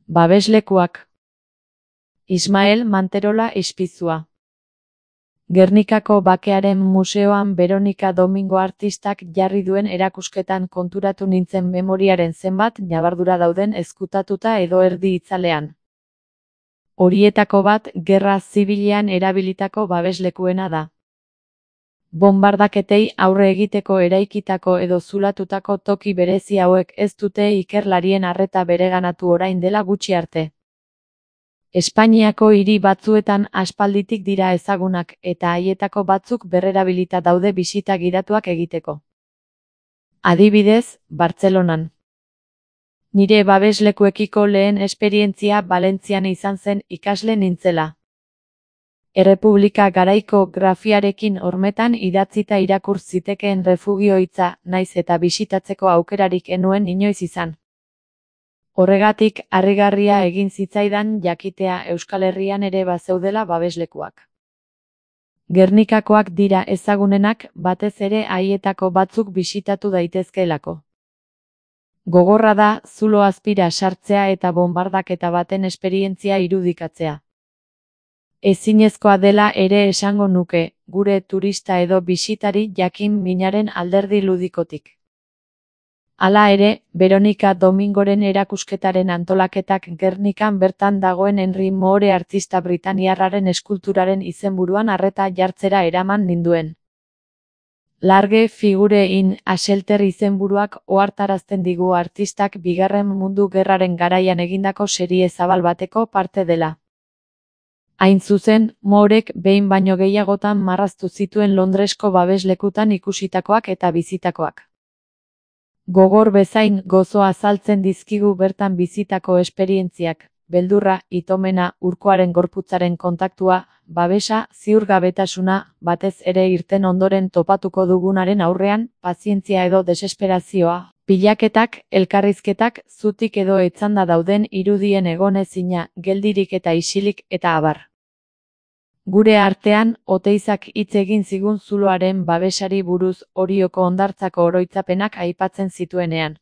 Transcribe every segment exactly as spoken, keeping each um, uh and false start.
Babeslekuak. Ismael Manterola Ispizua. Gernikako Bakearen Museoan Veronika Domingo artistak jarri duen erakusketan konturatu nintzen memoriaren zenbat ñabardura dauden ezkutatuta edo erdi itzalean. Horietako bat gerra zibilean erabilitako babeslekuena da. Bonbardaketei aurre egiteko eraikitako edo zulatutako toki berezi hauek ez dute ikerlarien arreta bereganatu orain dela gutxi arte. Espainiako hiri batzuetan aspalditik dira ezagunak eta haietako batzuk berrerabilita daude bisita gidatuak egiteko. Adibidez, Bartzelonan. Nire babeslekuekiko lehen esperientzia Valentzian izan zen ikasle nintzela. Errepublika garaiko grafiarekin hormetan idatzita irakur zitekeen refugio hitza naiz eta bisitatzeko aukerarik enuen inoiz izan. Horregatik, harrigarria egin zitzaidan jakitea Euskal Herrian ere bazeudela babeslekuak. Gernikakoak dira ezagunenak, batez ere haietako batzuk bisitatu daitezkeelako. Gogorra da, zulo azpira sartzea eta bonbardaketa baten esperientzia irudikatzea. Ezinezkoa dela ere esango nuke, gure turista edo bisitari jakin minaren alderdi ludikotik. Hala ere, Veronika Domingoren erakusketaren antolaketak Gernikan bertan dagoen Henry Moore artista britaniarraren eskulturaren izenburuan arreta jartzera eraman ninduen. Large figure in a shelter izenburuak ohartarazten digu artistak Bigarren Mundu Gerraren garaian egindako serie zabal bateko parte dela. Hain zuzen, Moorek behin baino gehiagotan marraztu zituen Londresko babeslekutan ikusitakoak eta bizitakoak. Gogor bezain gozoa azaltzen dizkigu bertan bizitako esperientziak, beldurra, itomena, urkoaren gorputzaren kontaktua, babesa, ziurgabetasuna, batez ere irten ondoren topatuko dugunaren aurrean, pazientzia edo desesperazioa, pilaketak, elkarrizketak, zutik edo etzanda dauden irudien egonezina, geldirik eta isilik eta abar. Gure artean, Oteizak hitz egin zigun zuloaren babesari buruz Orioko hondartzako oroitzapenak aipatzen zituenean.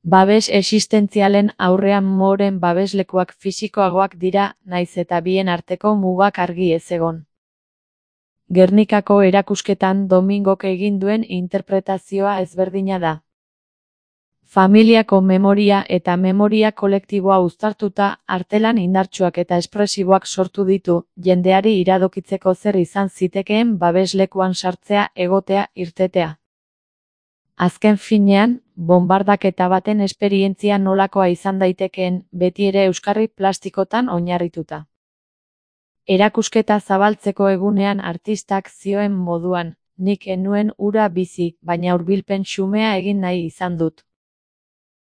Babes existentzialen aurrean Mooren babeslekuak fisikoagoak dira, naiz eta bien arteko mugak argi ez egon. Gernikako erakusketan Domingok egin duen interpretazioa ezberdina da. Familiako memoria eta memoria kolektiboa uztartuta, artelan indartsuak eta espresiboak sortu ditu, jendeari iradokitzeko zer izan zitekeen babeslekuan sartzea, egotea, irtetea. Azken finean, bonbardaketa baten esperientzia nolakoa izan daitekeen, beti ere euskarri plastikotan oinarrituta. Erakusketa zabaltzeko egunean artistak zioen moduan, nik enuen hura bizi, baina hurbilpen xumea egin nahi izan dut.